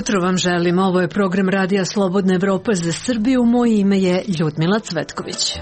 Jutro vam želim. Ovo je program Radija Slobodna Evropa za Srbiju. Moje ime je Ljudmila Cvetković.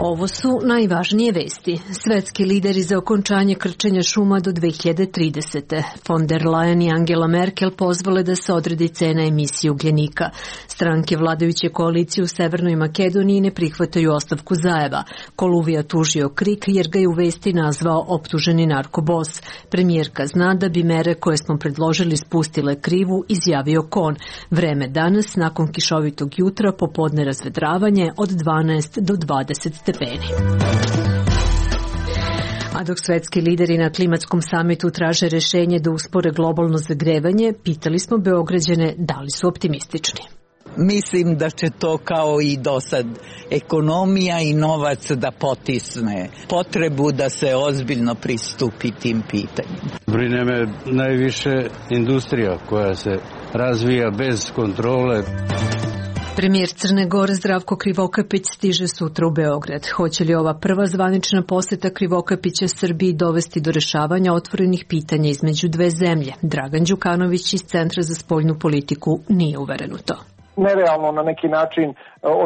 Ovo su najvažnije vesti. Svetski lideri za okončanje krčenja šuma do 2030. Von der Leyen i Angela Merkel pozvale da se odredi cena emisije ugljenika. Stranke vladajuće koalicije u Severnoj Makedoniji ne prihvataju ostavku Zaeva. Koluvija tužio KRIK jer ga je u vesti nazvao optuženi narkobos. Premijerka zna da bi mere koje smo predložili spustile krivu, izjavio Kon. Vreme danas, nakon kišovitog jutra, popodne razvedravanje od 12 do 20 stepeni. A dok svetski lideri na klimatskom samitu traže rešenje da uspore globalno zagrevanje, pitali smo Beograđane da li su optimistični. Mislim da će to kao i do sad ekonomija i novac da potisne potrebu da se ozbiljno pristupi tim pitanjima. Brine me najviše industrija koja se razvija bez kontrole. Premijer Crne Gore Zdravko Krivokapić stiže sutra u Beograd. Hoće li ova prva zvanična poseta Krivokapića Srbiji dovesti do rešavanja otvorenih pitanja između dve zemlje? Dragan Đukanović iz Centra za spoljnu politiku nije uveren u to. Nerealno na neki način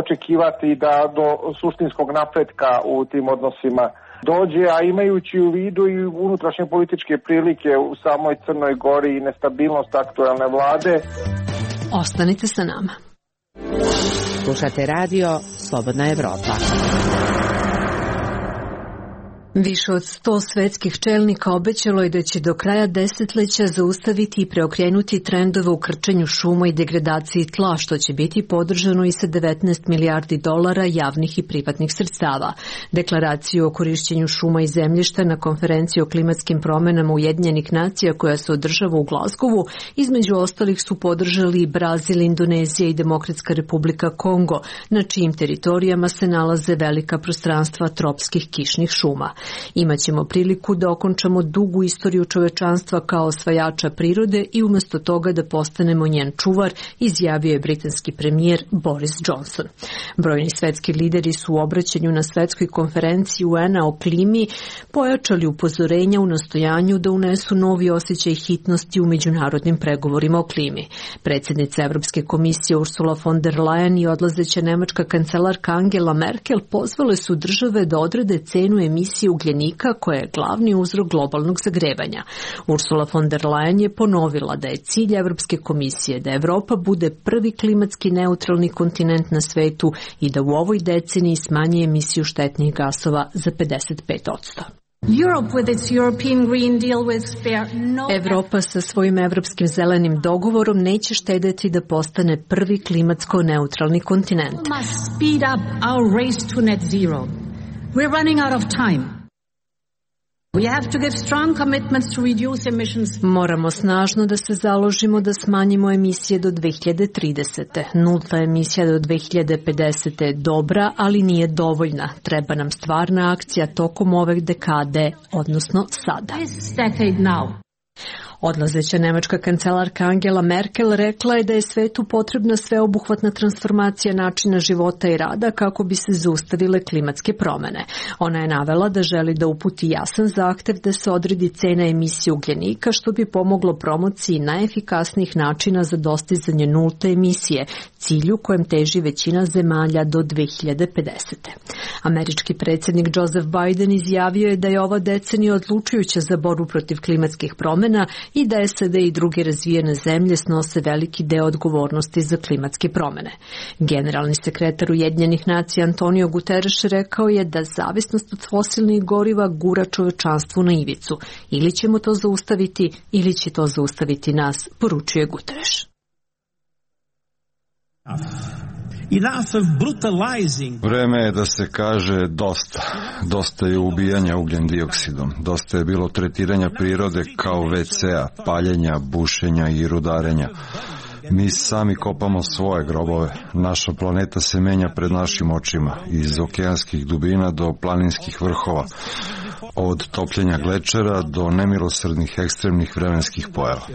očekivati da do suštinskog napretka u tim odnosima dođe, a imajući u vidu i unutrašnje političke prilike u samoj Crnoj Gori i nestabilnost aktuelne vlade. Ostanite sa nama. Slušate radio Slobodna Evropa. Više od 100 svetskih čelnika obećalo je da će do kraja desetleća zaustaviti i preokrenuti trendove u krčenju šuma i degradaciji tla, što će biti podržano i sa $19 milijardi javnih i privatnih sredstava. Deklaraciju o korišćenju šuma i zemljišta na konferenciji o klimatskim promenama Ujedinjenih nacija koja se održava u Glazgovu, između ostalih su podržali i Brazil, Indonezija i Demokratska Republika Kongo, na čijim teritorijama se nalaze velika prostranstva tropskih kišnih šuma. Imaćemo priliku da okončamo dugu istoriju čovečanstva kao osvajača prirode i umjesto toga da postanemo njen čuvar, izjavio je britanski premijer Boris Johnson. Brojni svetski lideri su u obraćanju na svetskoj konferenciji UN-a o klimi pojačali upozorenja u nastojanju da unesu novi osjećaj hitnosti u međunarodnim pregovorima o klimi. Predsjednica Evropske komisije Ursula von der Leyen i odlazeća nemačka kancelarka Angela Merkel pozvale su države da odrede cenu emisije ugljenika koja je glavni uzrok globalnog zagrevanja. Ursula von der Leyen je ponovila da je cilj Evropske komisije da Evropa bude prvi klimatski neutralni kontinent na svetu i da u ovoj deceniji smanji emisiju štetnih gasova za 55%. Evropa sa svojim evropskim zelenim dogovorom neće štedeti da postane prvi klimatsko neutralni kontinent. Moramo snažno da se založimo da smanjimo emisije do 2030. Nulta emisija do 2050. je dobra, ali nije dovoljna. Treba nam stvarna akcija tokom ove dekade, odnosno sada. Odlazeća nemačka kancelarka Angela Merkel rekla je da je svetu potrebna sveobuhvatna transformacija načina života i rada kako bi se zaustavile klimatske promene. Ona je navela da želi da uputi jasan zahtev da se odredi cena emisije ugljenika što bi pomoglo promociji najefikasnijih načina za dostizanje nulte emisije, cilju kojem teži većina zemalja do 2050. Američki predsjednik Joseph Biden izjavio je da je ova decenija odlučujuća za borbu protiv klimatskih promjena i da SAD i druge razvijene zemlje snose veliki deo odgovornosti za klimatske promjene. Generalni sekretar Ujedinjenih nacija Antonio Guterres rekao je da zavisnost od fosilnih goriva gura čovečanstvo na ivicu. Ili ćemo to zaustaviti, ili će to zaustaviti nas, poručuje Guterres. Vreme je da se kaže dosta. Dosta je ubijanja ugljen dioksidom. Dosta je bilo tretiranja prirode kao WC-a, paljenja, bušenja i rudarenja. Mi sami kopamo svoje grobove. Naša planeta se menja pred našim očima, iz okeanskih dubina do planinskih vrhova, od topljenja glečera do nemilosrdnih ekstremnih vremenskih pojava.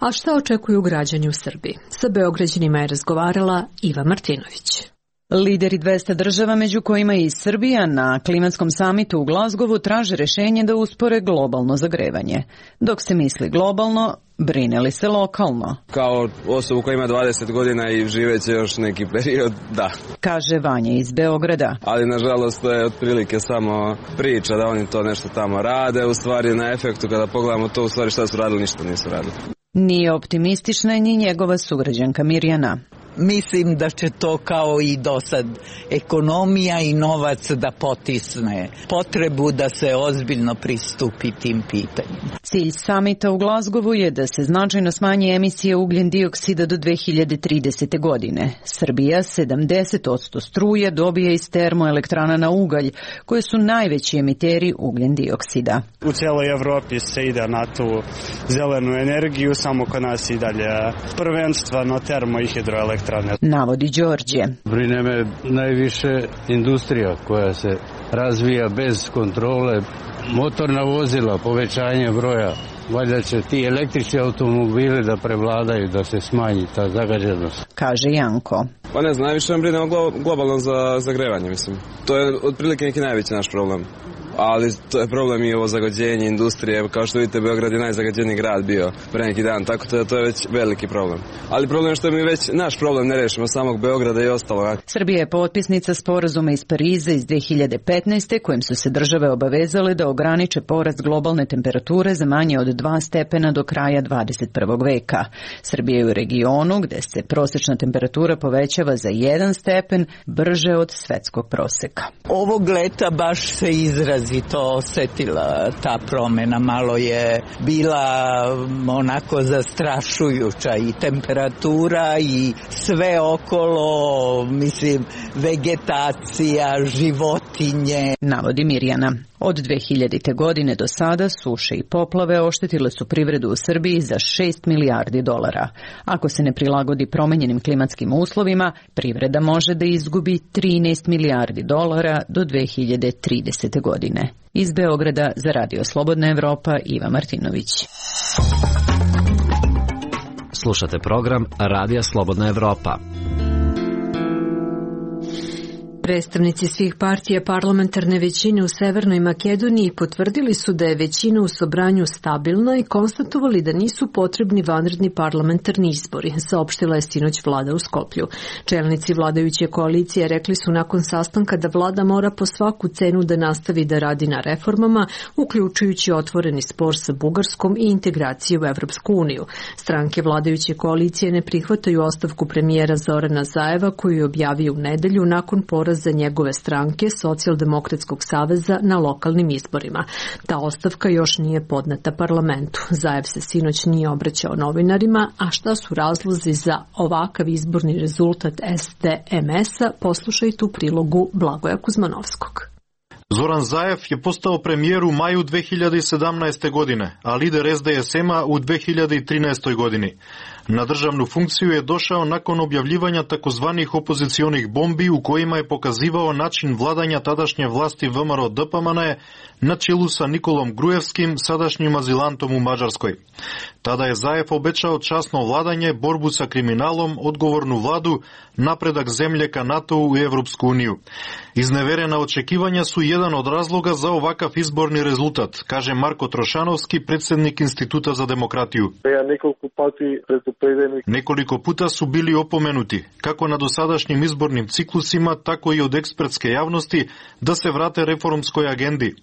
A šta očekuju građani u Srbiji? Sa Beograđanima je razgovarala Iva Martinović. Lideri 200 država, među kojima i Srbija, na klimatskom samitu u Glazgovu traže rešenje da uspore globalno zagrevanje. Dok se misli globalno, brine li se lokalno? Kao osobu koja ima 20 godina i živeće još neki period, da. Kaže Vanja iz Beograda. Ali nažalost to je otprilike samo priča da oni to nešto tamo rade, u stvari na efektu kada pogledamo to, u stvari šta su radili, ništa nisu radili. Nije optimistična ni njegova sugrađanka Mirjana. Mislim da će to kao i do sad ekonomija i novac da potisne potrebu da se ozbiljno pristupi tim pitanjima. Cilj samita u Glazgovu je da se značajno smanji emisije ugljen dioksida do 2030. godine. Srbija 70% struje dobije iz termoelektrana na ugalj, koje su najveći emiteri ugljen dioksida. U cijeloj Evropi se ide na tu zelenu energiju, samo kod nas i dalje prvenstveno termo i hidroelektrane. Navodi Đorđe. Brine me najviše industrija koja se razvija bez kontrole, motorna vozila, povećanje broja. Valjda će ti električni automobili da prevladaju, da se smanji ta zagađenost. Kaže Janko. Pa ne znam, najviše vam brine globalno za zagrevanje, mislim. To je otprilike neki najveći naš problem. Ali to je problem i ovo zagađenje industrije. Kao što vidite, Beograd je najzagađeniji grad bio pre neki dan, tako da to je već veliki problem. Ali problem je što mi već naš problem ne rešimo, samog Beograda i ostalo. Srbija je potpisnica sporazuma iz Pariza iz 2015. kojim su se države obavezale da ograniče porast globalne temperature za manje od 2 stepena do kraja 21. veka. Srbija je u regionu gde se prosečna temperatura povećava za 1 stepen brže od svetskog proseka. Ovog leta baš se izrazito osetila ta promena, malo je bila onako zastrašujuća i temperatura i sve okolo, mislim, vegetacija, životinje. Navodi Mirjana. Od 2000. godine do sada suše i poplave oštetile su privredu u Srbiji za 6 milijardi dolara. Ako se ne prilagodi promenjenim klimatskim uslovima, privreda može da izgubi 13 milijardi dolara do 2030. godine. Iz Beograda za Radio Slobodna Evropa, Iva Martinović. Slušate program Radija Slobodna Evropa. Predstavnici svih partija parlamentarne većine u Severnoj Makedoniji potvrdili su da je većina u Sobranju stabilna i konstatovali da nisu potrebni vanredni parlamentarni izbori, saopštila je sinoć vlada u Skoplju. Čelnici vladajuće koalicije rekli su nakon sastanka da vlada mora po svaku cenu da nastavi da radi na reformama, uključujući otvoreni spor sa Bugarskom i integraciju u Evropsku uniju. Stranke vladajuće koalicije ne prihvataju ostavku premijera Zorana Zajeva koju je objavio u nedelju nakon poraza za njegove stranke Socijaldemokratskog saveza na lokalnim izborima. Ta ostavka još nije podneta parlamentu. Zajev se sinoć nije obraćao novinarima, a šta su razlozi za ovakav izborni rezultat SDMS-a, poslušajte u prilogu Blagoja Kuzmanovskog. Zoran Zajev je postao premijer u maju 2017. godine, a lider SDSM-a u 2013. godini. Na državnu funkciju je došao nakon objavljivanja takozvanih opozicionih bombi u kojima je pokazivao način vladanja tadašnje vlasti VMRO DPMNE na čelu sa Nikolom Grujevskim, sadašnjim azilantom u Mađarskoj. Tada je Zajev obećao časno vladanje, borbu sa kriminalom, odgovornu vladu, napredak zemlje ka NATO-u i Evropsku uniju. Izneverena očekivanja su jedan od razloga za ovakav izborni rezultat, kaže Marko Trošanovski, predsjednik Instituta za demokratiju. Nekoliko puta su bili opomenuti, kako na dosadašnjim izbornim ciklusima, tako i od ekspertske javnosti, da se vrate reformskoj agendi.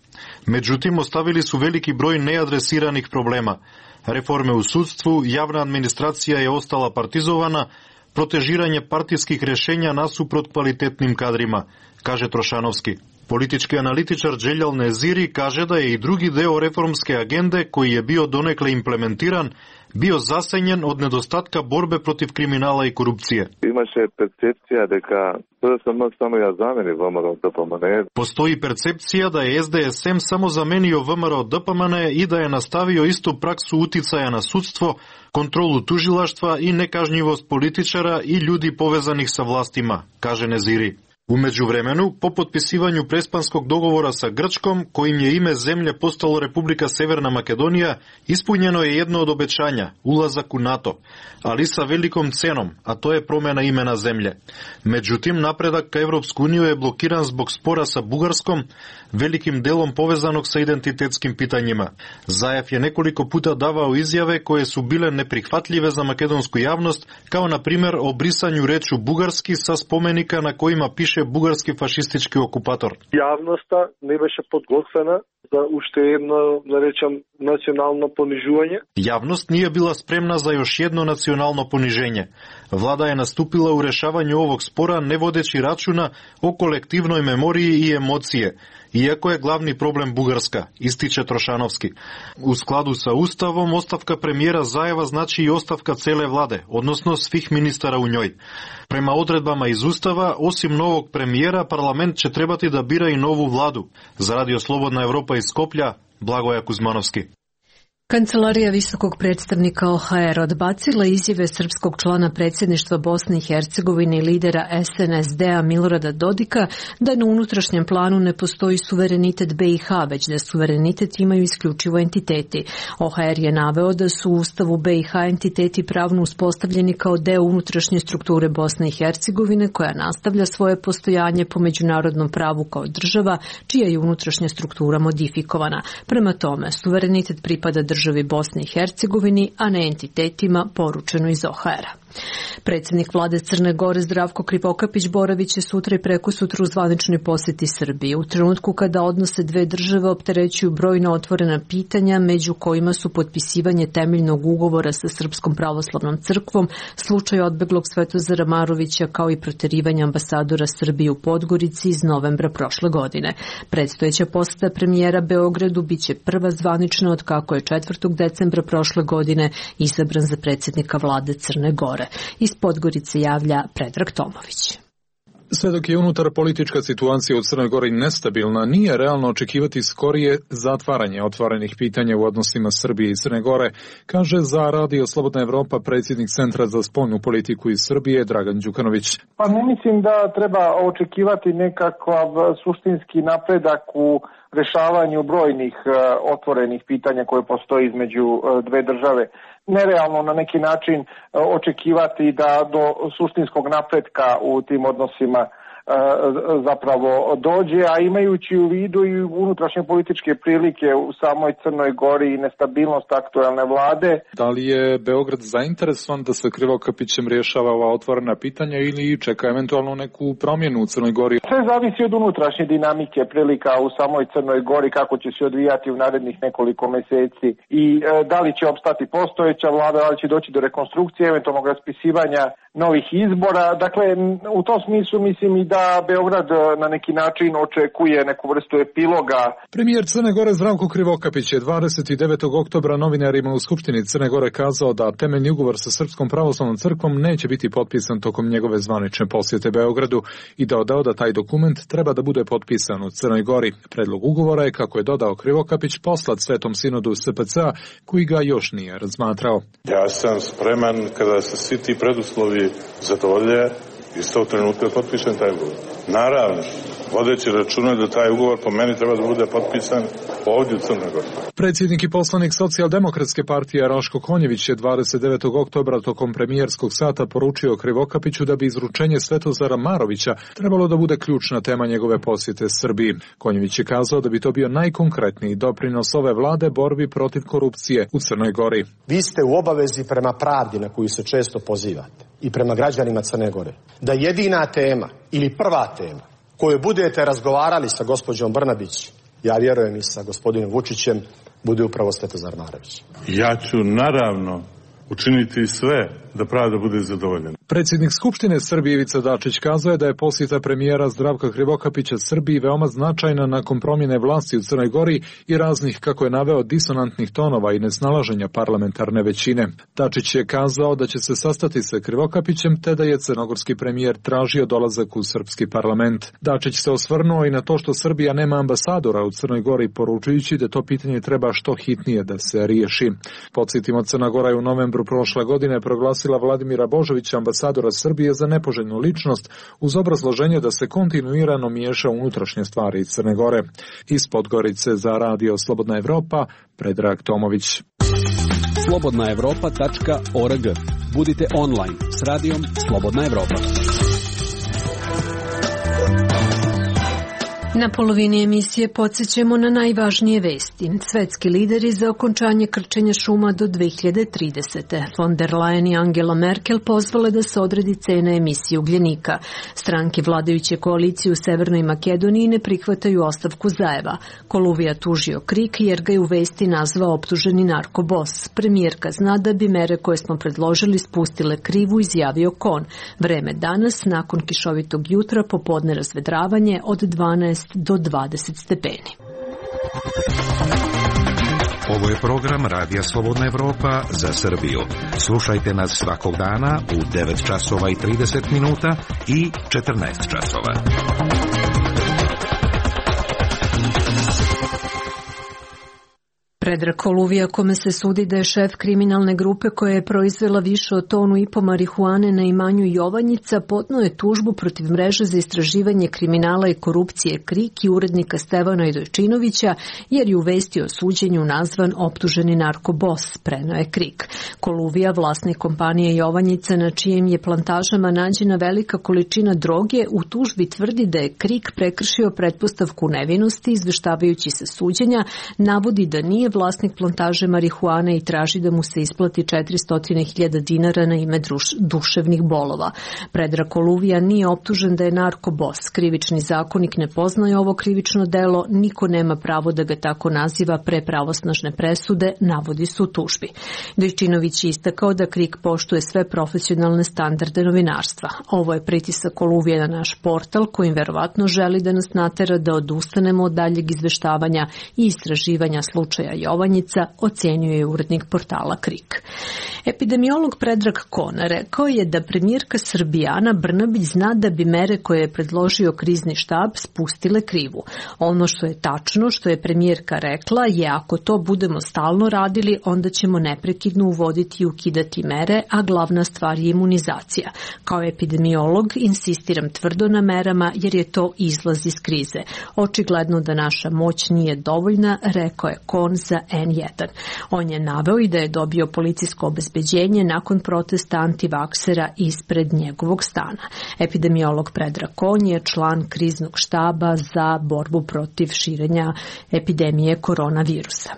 Međutim, ostavili su veliki broj neadresiranih problema. Reforme u sudstvu, javna administracija je ostala partizovana, protežiranje partijskih rešenja nasuprot kvalitetnim kadrima, kaže Trošanovski. Politički analitičar Dželjal Neziri kaže da je i drugi deo reformske agende, koji je bio donekle implementiran, bio zasenjen od nedostatka borbe protiv kriminala i korupcije. Postoji percepcija da je SDSM samo zamenio VMRO DPMNE i da je nastavio istu praksu uticaja na sudstvo, kontrolu tužilaštva i nekažnjivost političara i ljudi povezanih sa vlastima, kaže Neziri. U međuvremenu, po potpisivanju prespanskog dogovora sa Grčkom, kojim je ime zemlje postalo Republika Severna Makedonija, ispunjeno je jedno od obećanja, ulazak u NATO, ali sa velikom cenom, a to je promjena imena zemlje. Međutim, napredak ka Evropsku uniju je blokiran zbog spora sa Bugarskom, velikim delom povezanog sa identitetskim pitanjima. Zajev je nekoliko puta davao izjave koje su bile neprihvatljive za makedonsku javnost, kao na primjer o brisanju rečju bugarski sa spomenika na kojima piše bugarski fašistički okupator. Javnosta ne беше подготвена za уште едно, да речем, национално понижување. Javnost nije bila spremna za još jedno nacionalno poniženje. Vlada je nastupila u rešavanju ovog spora ne vodeći računa o kolektivnoj memoriji i emocije, iako je glavni problem Bugarska, ističe Trošanovski. U skladu sa Ustavom, ostavka premijera Zajeva znači i ostavka cele vlade, odnosno svih ministara u njoj. Prema odredbama iz Ustava, osim novog premijera, parlament će trebati da bira i novu vladu. Za Radio Slobodna Evropa iz Skoplja, Blagoja Kuzmanovski. Kancelarija visokog predstavnika OHR odbacila izjave srpskog člana predsjedništva Bosne i Hercegovine i lidera SNSD-a Milorada Dodika da na unutrašnjem planu ne postoji suverenitet BiH, već da suverenitet imaju isključivo entiteti. OHR je naveo da su u Ustavu BiH entiteti pravno uspostavljeni kao deo unutrašnje strukture Bosne i Hercegovine, koja nastavlja svoje postojanje po međunarodnom pravu kao država, čija je unutrašnja struktura modifikovana. Prema tome, suverenitet pripada državi Bosni i Hercegovini, a ne entitetima, poručeno iz OHR-a. Predsjednik vlade Crne Gore Zdravko Krivokapić boravit će sutra i prekosutra u zvaničnoj posjeti Srbije. U trenutku kada odnose dve države opterećuju brojna otvorena pitanja, među kojima su potpisivanje temeljnog ugovora sa Srpskom pravoslavnom crkvom, slučaj odbeglog Svetozara Marovića, kao i proterivanje ambasadora Srbije u Podgorici iz novembra prošle godine. Predstojeća posjeta premijera Beogradu biće prva zvanična od kako je 4. decembra prošle godine izabran za predsjednika vlade Crne Gore. Iz Podgorice javlja Predrag Tomović. Sve dok je unutar politička situacija u Crnoj Gori nestabilna, nije realno očekivati skorije zatvaranje otvorenih pitanja u odnosima Srbije i Crne Gore, kaže za Radio Slobodna Evropa predsjednik Centra za spoljnu politiku iz Srbije Dragan Đukanović. Pa ne mislim da treba očekivati nekakav suštinski napredak u rešavanju brojnih otvorenih pitanja koje postoji između dve države. Nerealno na neki način očekivati da do suštinskog napretka u tim odnosima zapravo dođe, a imajući u vidu i unutrašnje političke prilike u samoj Crnoj Gori i nestabilnost aktuelne vlade. Da li je Beograd zainteresovan da se Krivokapićem rješava ova otvorena pitanja ili čeka eventualno neku promjenu u Crnoj Gori? Sve zavisi od unutrašnje dinamike prilika u samoj Crnoj Gori, kako će se odvijati u narednih nekoliko meseci i da li će opstati postojeća vlada, da li će doći do rekonstrukcije, eventualnog raspisivanja novih izbora. Dakle, u tom smislu mislim i da Beograd na neki način očekuje neku vrstu epiloga. Premijer Crne Gore Zdravko Krivokapić je 29. oktobra novinarima u Skupštini Crne Gore kazao da temeljni ugovor sa Srpskom pravoslavnom crkvom neće biti potpisan tokom njegove zvanične posjete Beogradu i dodao da taj dokument treba da bude potpisan u Crnoj Gori. Predlog ugovora je, kako je dodao Krivokapić, poslat Svetom sinodu SPC-a, koji ga još nije razmatrao. Ja sam spreman kada se svi ti preduslovi zadovolje iz tog trenutka potpisan taj ugovor. Naravno, vodeći računa da taj ugovor po meni treba da bude potpisan ovdje u Crnoj Gori. Predsjednik i poslanik Socijaldemokratske partije Raško Konjević je 29. oktobra tokom premijerskog sata poručio Krivokapiću da bi izručenje Svetozara Marovića trebalo da bude ključna tema njegove posjete Srbiji. Konjević je kazao da bi to bio najkonkretniji doprinos ove vlade borbi protiv korupcije u Crnoj Gori. Vi ste u obavezi prema pravdi na koju se često pozivate i prema građanima Crne Gore, da jedina tema ili prva tema koju budete razgovarali sa gospođom Brnabić, ja vjerujem i sa gospodinom Vučićem, bude upravo Svetozar Marović. Ja ću naravno učiniti sve da pravda bude zadovoljena. Predsjednik Skupštine Srbije Ivica Dačić kazao je da je posjeta premijera Zdravka Krivokapića Srbiji veoma značajna nakon promjene vlasti u Crnoj Gori i raznih, kako je naveo, disonantnih tonova i nesnalaženja parlamentarne većine. Dačić je kazao da će se sastati sa Krivokapićem te da je crnogorski premijer tražio dolazak u srpski parlament. Dačić se osvrnuo i na to što Srbija nema ambasadora u Crnoj Gori, poručujući da to pitanje treba što hitnije da se riješi. Podsjetimo, Crna Gora je u novembru prošle godine proglasila Vladimira Božovića ambasadora ambasadora Srbije za nepoželjnu ličnost uz obrazloženje da se kontinuirano miješa unutrašnje stvari iz Crne Gore. Iz Podgorice za Radio Slobodna Evropa, Predrag Tomović. slobodnaevropa.org. Budite online s radijom Slobodna Evropa. Na polovini emisije podsjećamo na najvažnije vesti. Svetski lideri za okončanje krčenja šuma do 2030. Von der Leyen i Angela Merkel pozvale da se odredi cena emisije ugljenika. Stranke vladajuće koalicije u Severnoj Makedoniji ne prihvataju ostavku Zaeva. Koluvija tužio KRIK jer ga je u vesti nazvao optuženi narkobos. Premijerka zna da bi mere koje smo predložili spustile krivu, izjavio Kon. Vreme danas, nakon kišovitog jutra, popodne razvedravanje od 12 do 20 stepeni. Ovo je program Radija Slobodna Evropa za Srbiju. Slušajte nas svakog dana u 9 časova i 30 minuta i 14 časova. Predrag Koluvija, kome se sudi da je šef kriminalne grupe koja je proizvela više od 1,5 tonu marihuane na imanju Jovanjica, podneo je tužbu protiv mreže za istraživanje kriminala i korupcije KRIK i urednika Stevana Idojčinovića, jer je u vesti o suđenju nazvan optuženi narkobos, preneo je KRIK. Koluvija, vlasnik kompanije Jovanjica, na čijim je plantažama nađena velika količina droge, u tužbi tvrdi da je KRIK prekršio pretpostavku nevinosti, izveštavajući se suđenja, navodi da nije vlasnik plantaže marihuane i traži da mu se isplati 400.000 dinara na ime duševnih bolova. Predrag Koluvija nije optužen da je narkobos. Krivični zakonik ne poznaje ovo krivično delo, niko nema pravo da ga tako naziva pre pravosnažne presude, navodi se u tužbi. Dojčinović je istakao da KRIK poštuje sve profesionalne standarde novinarstva. Ovo je pritisak Koluvije na naš portal, kojim verovatno želi da nas natera da odustanemo od daljeg izveštavanja i istraživanja slučaja Jovanjica, ocenio je urednik portala KRIK. Epidemiolog Predrag Kon rekao je da premijerka Srbije Ana Brnabić zna da bi mere koje je predložio krizni štab spustile krivu. Ono što je tačno, što je premijerka rekla, je ako to budemo stalno radili, onda ćemo neprekidno uvoditi i ukidati mere, a glavna stvar je imunizacija. Kao epidemiolog insistiram tvrdo na merama jer je to izlaz iz krize. Očigledno da naša moć nije dovoljna, rekao je Kon za N1. On je naveo i da je dobio policijsko obezbeđenje nakon protesta antivaksera ispred njegovog stana. Epidemiolog Predrag Kon je član kriznog štaba za borbu protiv širenja epidemije koronavirusa.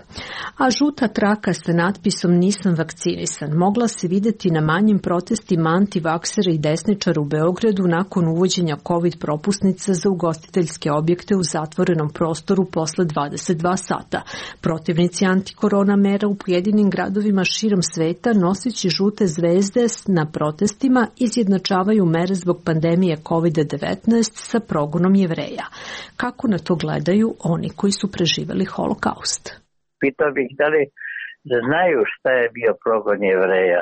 A žuta traka sa natpisom "Nisam vakcinisan" mogla se videti na manjim protestima antivaksera i desničara u Beogradu nakon uvođenja COVID propusnica za ugostiteljske objekte u zatvorenom prostoru posle 22 sata. Protivnici antikorona mera u pojedinim gradovima širom sveta, noseći žute zvezde na protestima, izjednačavaju mere zbog pandemije COVID-19 sa progonom Jevreja. Kako na to gledaju oni koji su preživeli holokaust? Pitao bih da li znaju šta je bio progon Jevreja,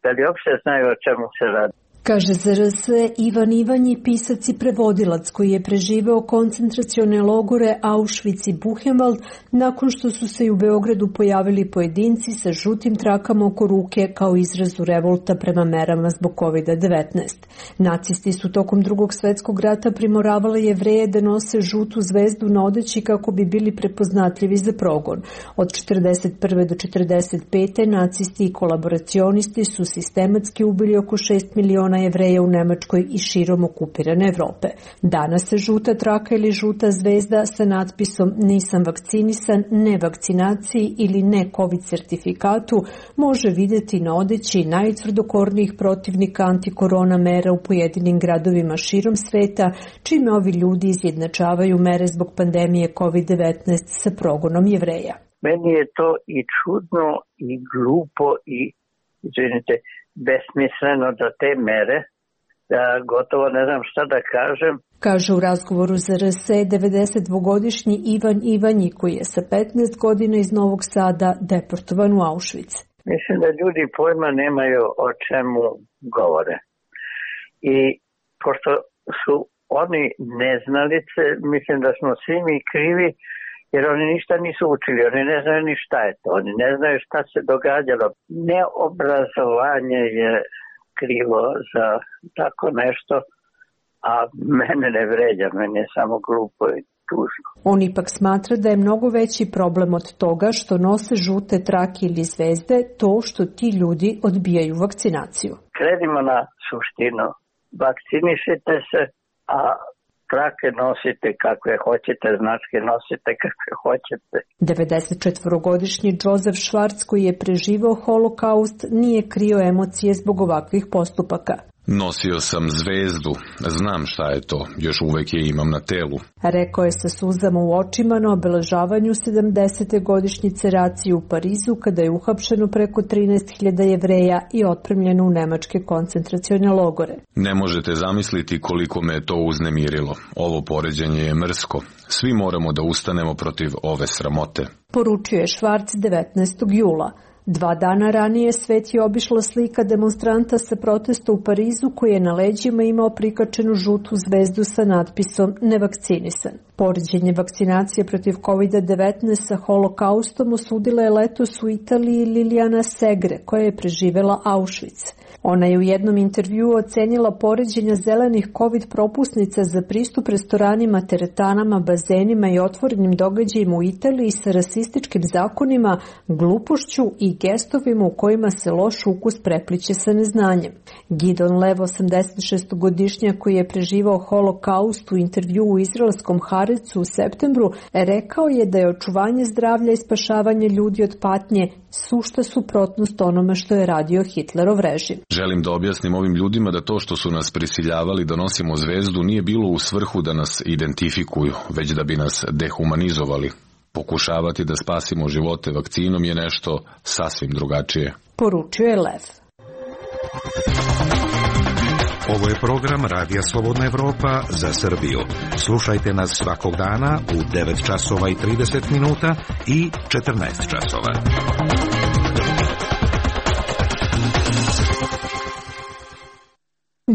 da li uopšte znaju o čemu se radi. Kaže za RS Ivan Ivanji, pisac i prevodilac koji je preživeo koncentracione logore Auschwitz i Buchenwald nakon što su se i u Beogradu pojavili pojedinci sa žutim trakama oko ruke kao izrazu revolta prema merama zbog COVID-19. Nacisti su tokom Drugog svjetskog rata primoravali Jevreje da nose žutu zvezdu na odeći kako bi bili prepoznatljivi za progon. Od 1941. do 1945. nacisti i kolaboracionisti su sistematski ubili oko 6 miliona Jevreja u Nemačkoj i širom okupirane Evrope. Danas se žuta traka ili žuta zvezda sa natpisom "Nisam vakcinisan", "Ne vakcinaciji" ili "Ne COVID certifikatu" može vidjeti na odeći najtvrdokornijih protivnika antikorona mera u pojedinim gradovima širom sveta, čime ovi ljudi izjednačavaju mere zbog pandemije COVID-19 sa progonom Jevreja. Meni je to i čudno i glupo i, izvinite, besmisleno da te mere, da gotovo ne znam šta da kažem. Kaže u razgovoru za RS 92-godišnji Ivan Ivanji, koji je sa 15 godina iz Novog Sada deportovan u Auschwitz. Mislim da ljudi pojma nemaju o čemu govore. I pošto su oni neznalice, mislim da smo svi mi krivi, jer oni ništa nisu učili, oni ne znaju ni šta je to, oni ne znaju šta se događalo. Neobrazovanje je krivo za tako nešto, a mene ne vređa, mene je samo glupo i tužno. On ipak smatra da je mnogo veći problem od toga što nose žute trake ili zvezde, to što ti ljudi odbijaju vakcinaciju. Krenimo na suštinu. Vakcinišite se, a trake nosite kakve hoćete, značke nosite kakve hoćete. 94-godišnji Joseph Schwartz, koji je preživao holokaust, nije krio emocije zbog ovakvih postupaka. Nosio sam zvezdu, znam šta je to, još uvek je imam na telu. Rekao je sa suzama u očima na obeležavanju 70. godišnjice racije u Parizu, kada je uhapšeno preko 13.000 Jevreja i otpremljeno u nemačke koncentracione logore. Ne možete zamisliti koliko me je to uznemirilo. Ovo poređenje je mrsko. Svi moramo da ustanemo protiv ove sramote. Poručio je Schwartz 19. jula. 2 dana ranije svet je obišla slika demonstranta sa protesta u Parizu koji je na leđima imao prikačenu žutu zvezdu sa natpisom nevakcinisan. Poređenje vakcinacije protiv COVID-19 sa holokaustom osudila je letos u Italiji Liliana Segre, koja je preživela Auschwitz. Ona je u jednom intervjuu ocenila poređenja zelenih COVID propusnica za pristup restoranima, teretanama, bazenima i otvorenim događajima u Italiji sa rasističkim zakonima, glupošću i gestovima u kojima se loš ukus prepliće sa neznanjem. Gidon Lev, 86-godišnjak koji je preživao holokaust, u intervjuu u izraelskom Haaretzu u septembru, rekao je da je očuvanje zdravlja i spašavanje ljudi od patnje sušta suprotnost onome što je radio Hitlerov režim. Želim da objasnim ovim ljudima da to što su nas prisiljavali da nosimo zvezdu nije bilo u svrhu da nas identifikuju, već da bi nas dehumanizovali. Pokušavati da spasimo živote vakcinom je nešto sasvim drugačije. Poručio je Lev. Ovo je program Radija Slobodna Evropa za Srbiju. Slušajte nas svakog dana u 9 časova i 30 minuta i 14 časova.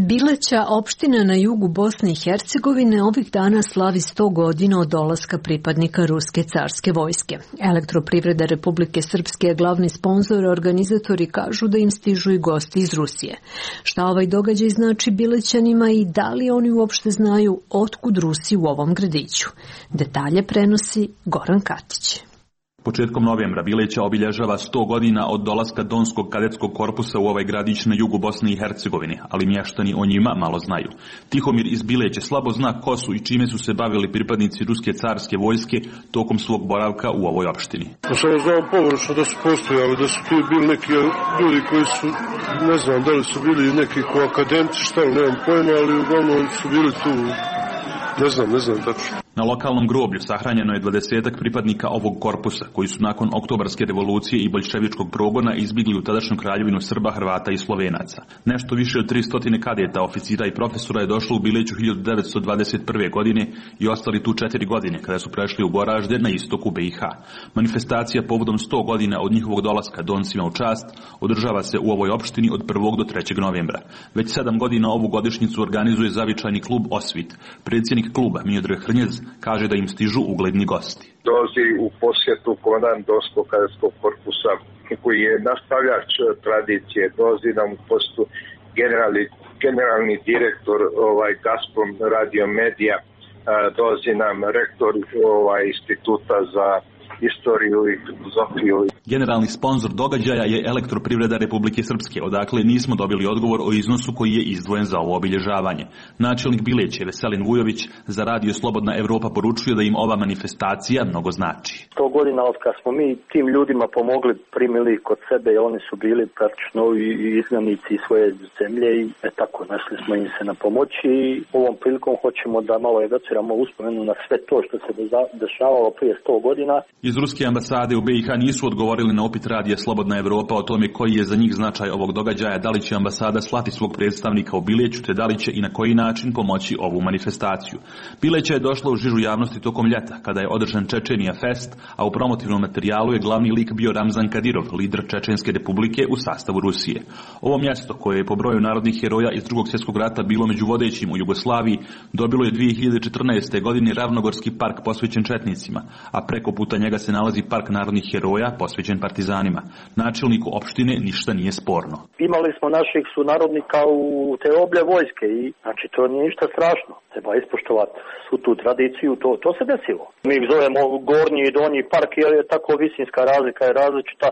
Bileća, opština na jugu Bosne i Hercegovine, ovih dana slavi 100 godina od dolaska pripadnika Ruske carske vojske. Elektroprivreda Republike Srpske je glavni sponzor, organizatori kažu da im stižu i gosti iz Rusije. Šta ovaj događaj znači Bilećanima i da li oni uopšte znaju otkud Rusi u ovom gradiću? Detalje prenosi Goran Katić. Početkom novembra Bileća obilježava 100 godina od dolaska Donskog kadetskog korpusa u ovaj gradić na jugu Bosne i Hercegovine, ali mještani o njima malo znaju. Tihomir iz Bileće slabo zna ko su i čime su se bavili pripadnici Ruske carske vojske tokom svog boravka u ovoj opštini. Samo znam površno da su postojali, da su tu bili neki ljudi koji su, ne znam da li su bili neki ko akademci, šta li, nemam pojma, ali uglavnom su bili tu, ne znam tačno. Na lokalnom groblju sahranjeno je 20 pripadnika ovog korpusa, koji su nakon oktobarske revolucije i boljševičkog progona izbjegli u tadašnju kraljevinu Srba, Hrvata i Slovenaca. Nešto više od 300 kadeta, oficira i profesora je došlo u Bileću 1921. godine i ostali tu 4 godine, kada su prešli u Goražde na istoku BiH. Manifestacija povodom 100 godina od njihovog dolaska Doncima u čast održava se u ovoj opštini od 1. do 3. novembra. Već 7 godina ovu godišnjicu organizuje zavičajni klub Osvit. Predsjednik kluba Miodrag Hrnjez kaže da im stižu ugledni gosti. Dolazi u posjetu komandant Donskog kadetskog korpusa koji je nastavljač tradicije, dolazi nam u posjetu generalni direktor Gazprom Radio Medija, dolazi nam rektor instituta za istoriju i filozofiju. Generalni sponzor događaja je Elektroprivreda Republike Srpske, odakle nismo dobili odgovor o iznosu koji je izdvojen za ovo obilježavanje. Načelnik Bileće, Veselin Vujović, za Radio Slobodna Evropa poručuje da im ova manifestacija mnogo znači. 100 godina od kad smo mi tim ljudima pomogli, primili kod sebe, oni su bili praktično i izgnanici svoje zemlje i tako našli smo im se na pomoći i ovom prilikom hoćemo da malo evociramo uspomenu na sve to što se dešavalo prije 100 godina. Iz Ruske ambasade u BiH nisu odgovorili na upit Radija Slobodna Evropa o tome koji je za njih značaj ovog događaja, da li će ambasada slati svog predstavnika u Bileću, te da li će i na koji način pomoći ovu manifestaciju. Bileća je došla u žižu javnosti tokom ljeta, kada je održan Čečenija Fest, a u promotivnom materijalu je glavni lik bio Ramzan Kadirov, lider Čečenske republike u sastavu Rusije. Ovo mjesto, koje je po broju narodnih heroja iz Drugog svjetskog rata bilo među vodećim u Jugoslaviji, dobilo je 2014. godine Ravnogorski park posvećen četnicima, a preko puta njega se nalazi park narodnih heroja posvećen podređen partizanima. Načelniku opštine ništa nije sporno. Imali smo naših sunarodnika u te oblje vojske i znači to nije ništa strašno. Treba ispoštovati svu tu tradiciju, to se desilo. Mi ih zovemo gornji i donji park jer je tako visinska razlika je različita,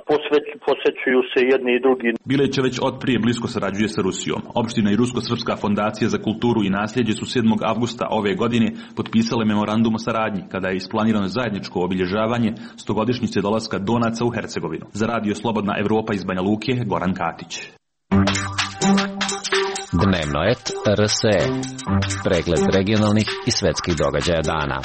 posvećuju se jedni i drugi. Bileć već od prije blisko sarađuje sa Rusijom. Opština i Rusko-srpska fondacija za kulturu i nasljeđe su 7. avgusta ove godine potpisale memorandum o saradnji kada je isplanirano zajedničko obilježavanje 100-godišnjice dolaska Donaca u Hercegovinu. Za Radio Slobodna Evropa iz Banja Luke, Goran Katić. Dnevno et RSE. Pregled regionalnih i svetskih događaja dana.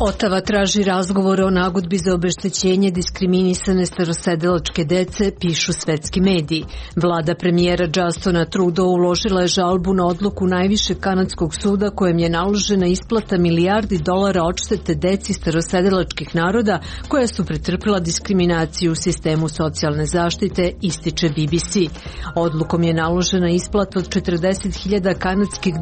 Otava traži razgovor o nagodbi za obeštećenje diskriminisane starosedelačke dece, pišu svetski mediji. Vlada premijera Justina Trudeau uložila je žalbu na odluku najvišeg kanadskog suda kojem je naložena isplata $1 milijardi odštete deci starosedelačkih naroda koja su pretrpila diskriminaciju u sistemu socijalne zaštite, ističe BBC. Odlukom je naložena isplata od $40.000 kanadskih,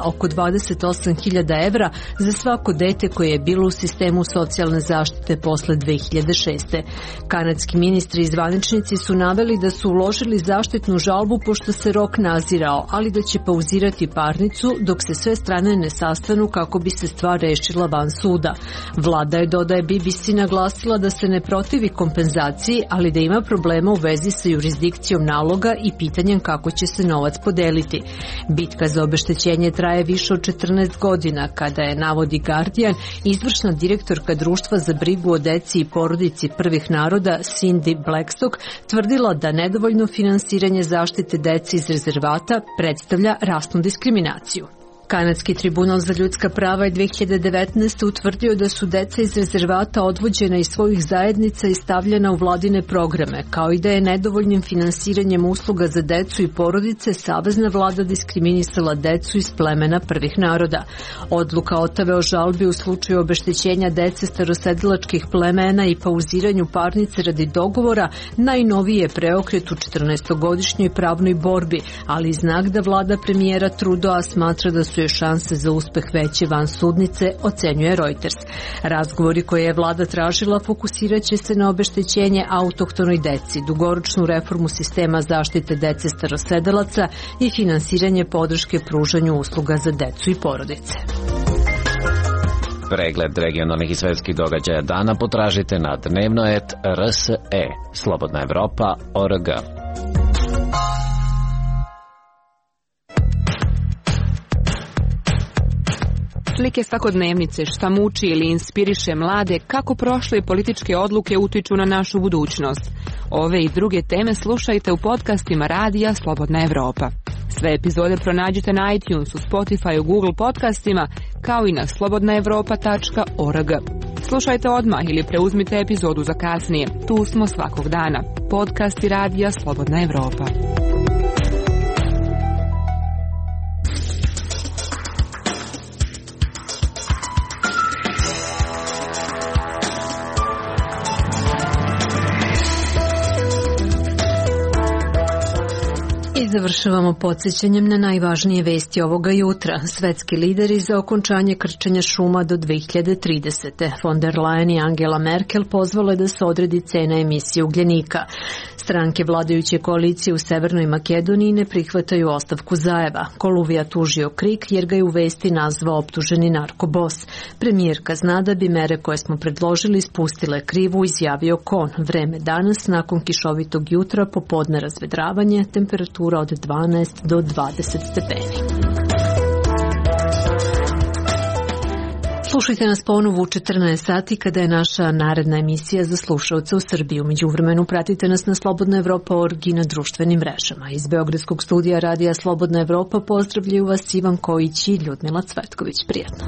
oko 28.000 evra, za svako dete koje je bilo u sistemu socijalne zaštite posle 2006. Kanadski ministri i zvaničnici su naveli da su uložili zaštitnu žalbu pošto se rok nazirao, ali da će pauzirati parnicu dok se sve strane ne sastanu kako bi se stvar rešila van suda. Vlada je, dodaje BBC, naglasila da se ne protivi kompenzaciji, ali da ima problema u vezi sa jurisdikcijom naloga i pitanjem kako će se novac podeliti. Bitka za obeštećenje traje više od 14 godina, kada je, navodi Guardian, izvršna direktorka društva za brigu o deci i porodici prvih naroda Cindy Blackstock tvrdila da nedovoljno finansiranje zaštite dece iz rezervata predstavlja rasnu diskriminaciju. Kanadski tribunal za ljudska prava je 2019. utvrdio da su deca iz rezervata odvođena iz svojih zajednica i stavljena u vladine programe, kao i da je nedovoljnim finansiranjem usluga za decu i porodice savezna vlada diskriminisala decu iz plemena prvih naroda. Odluka Otave o žalbi u slučaju obeštećenja dece starosedelačkih plemena i pauziranju parnice radi dogovora najnoviji je preokret u 14-godišnjoj pravnoj borbi, ali i znak da vlada premijera Trudeau smatra da su šanse za uspeh veće van sudnice, ocenjuje Reuters. Razgovori koje je vlada tražila fokusirat će se na obeštećenje autohtonoj deci, dugoročnu reformu sistema zaštite dece starosedelaca i finansiranje podrške pružanju usluga za decu i porodice. Pregled regionalnih i svetskih događaja dana potražite na dnevnoet.rse, slobodnaevropa.org. Slike svakodnevnice, šta muči ili inspiriše mlade, kako prošle političke odluke utiču na našu budućnost. Ove i druge teme slušajte u podcastima Radija Slobodna Evropa. Sve epizode pronađite na iTunesu, Spotifyu, Google podcastima, kao i na slobodnaevropa.org. Slušajte odmah ili preuzmite epizodu za kasnije. Tu smo svakog dana. Podcasti Radija Slobodna Evropa. Završavamo podsjećanjem na najvažnije vesti ovoga jutra. Svetski lideri za okončanje krčenja šuma do 2030. Von der Leyen i Angela Merkel pozvale da se odredi cena emisije ugljenika. Stranke vladajuće koalicije u Severnoj Makedoniji ne prihvataju ostavku Zajeva. Koluvija tužio Krik jer ga je u vesti nazvao optuženi narkobos. Premijerka zna da bi mere koje smo predložili spustile krivu, izjavio Kon. Vreme danas, nakon kišovitog jutra, popodne razvedravanje, temperatura od 12 do 20 stepeni. Slušajte nas ponovo u 14 sati kada je naša naredna emisija za slušalce u Srbiji. Međuvremenu pratite nas na slobodnaevropa.org i na društvenim mrežama. Iz Beogradskog studija Radija Slobodna Evropa pozdravljaju vas Ivan Kojić i Ljudmila Cvetković. Prijatno.